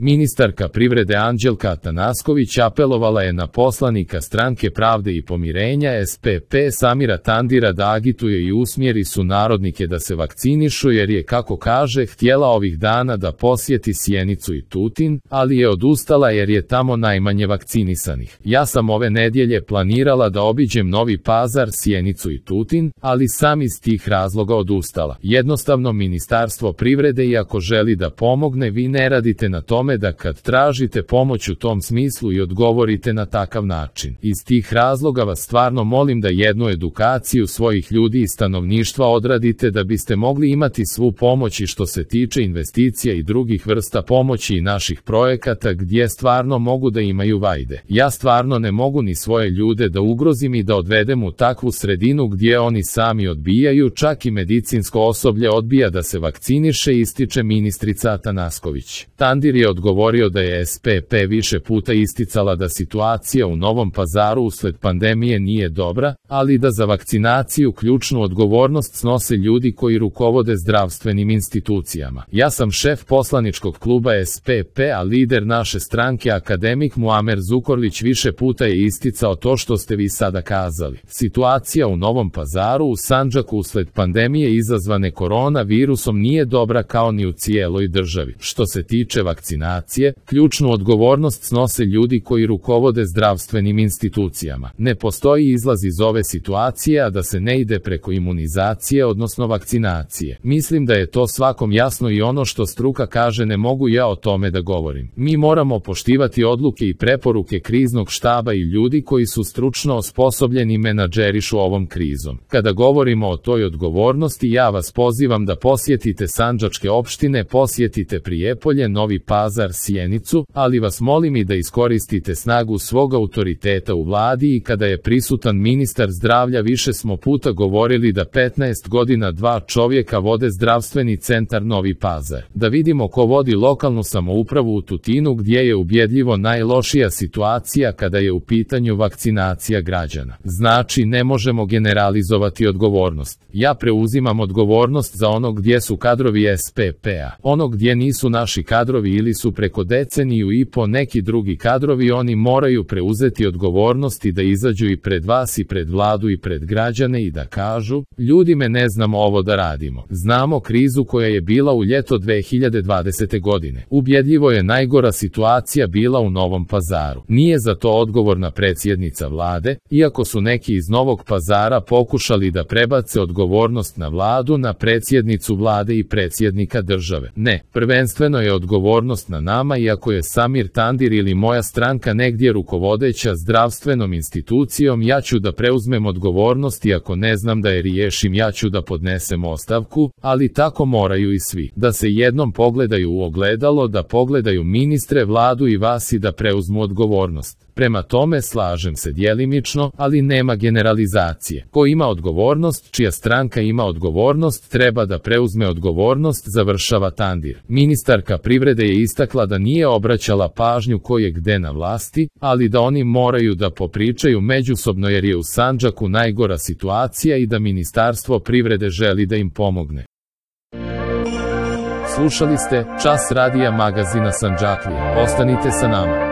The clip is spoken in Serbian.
Ministarka privrede Anđelka Atanasković apelovala je na poslanika Stranke pravde i pomirenja SPP Samira Tandira da agituje i usmjeri sunarodnike da se vakcinišu jer je, kako kaže, htjela ovih dana da posjeti Sjenicu i Tutin, ali je odustala jer je tamo najmanje vakcinisanih. Ja sam ove nedjelje planirala da obiđem Novi Pazar, Sjenicu i Tutin, ali sam iz tih razloga odustala. Jednostavno Ministarstvo privrede, iako želi da pomogne, vi ne radite na tome da kad tražite pomoć u tom smislu i odgovorite na takav način. Iz tih razloga vas stvarno molim da jednu edukaciju svojih ljudi i stanovništva odradite da biste mogli imati svu pomoć i što se tiče investicija i drugih vrsta pomoći i naših projekata gdje stvarno mogu da imaju vajde. Ja stvarno ne mogu ni svoje ljude da ugrozim i da odvedem u takvu sredinu gdje oni sami odbijaju, čak i medicinsko osoblje odbija da se vakciniše, ističe ministrica Atanasković. Tandir je odgovorio da je SPP više puta isticala da situacija u Novom Pazaru usled pandemije nije dobra, ali da za vakcinaciju ključnu odgovornost snose ljudi koji rukovode zdravstvenim institucijama. Ja sam šef poslaničkog kluba SPP, a lider naše stranke akademik Muamer Zukorlić više puta je isticao to što ste vi sada kazali. Situacija u Novom Pazaru u Sandžaku usled pandemije izazvane koronavirusom nije dobra kao ni u cijeloj državi. Što se tiče vakcinacije, ključnu odgovornost snose ljudi koji rukovode zdravstvenim institucijama. Ne postoji izlaz iz ove situacije, a da se ne ide preko imunizacije, odnosno vakcinacije. Mislim da je to svakom jasno i ono što struka kaže ne mogu ja o tome da govorim. Mi moramo poštivati odluke i preporuke kriznog štaba i ljudi koji su stručno osposobljeni i menadžerišu ovom krizom. Kada govorimo o toj odgovornosti, ja vas pozivam da posjetite sandžačke opštine, posjetite Prijepolje, Novi Pazar, Sjenicu, ali vas molim i da iskoristite snagu svog autoriteta u vladi i kada je prisutan ministar zdravlja. Više smo puta govorili da 15 godina 2 čovjeka vode zdravstveni centar Novi Pazar. Da vidimo ko vodi lokalnu samoupravu u Tutinu gdje je ubjedljivo najlošija situacija kada je u pitanju vakcinacija građana. Znači ne možemo generalizovati odgovornost. Ja preuzimam odgovornost za ono gdje su kadrovi SPP-a. Ono gdje nisu naši kadrovi ili su preko deceniju i po neki drugi kadrovi, oni moraju preuzeti odgovornost i da izađu i pred vas i pred vladu i pred građane i da kažu, ljudi me ne znamo ovo da radimo. Znamo krizu koja je bila u ljeto 2020. godine. Ubjedljivo je najgora situacija bila u Novom Pazaru. Nije za to odgovorna predsjednica vlade, iako su neki iz Novog Pazara pokušali da prebace odgovornost na vladu, na predsjednicu vlade i predsjednika države. Ne, prvenstveno je odgovornost na nama, iako je Samir Tandir ili moja stranka negdje rukovodeća zdravstvenom institucijom, ja ću da preuzmem odgovornost i ako ne znam da je riješim, ja ću da podnesem ostavku, ali tako moraju i svi. Da se jednom pogledaju u ogledalo, da pogledaju ministre, vladu i vas i da preuzmu odgovornost. Prema tome slažem se djelimično, ali nema generalizacije. Ko ima odgovornost, čija stranka ima odgovornost, treba da preuzme odgovornost, završava Tandir. Ministarka privrede je istakla da nije obraćala pažnju ko je gde na vlasti, ali da oni moraju da popričaju međusobno jer je u Sandžaku najgora situacija i da Ministarstvo privrede želi da im pomogne. Slušali ste Čas radija magazina Sandžaklija. Ostanite sa nama.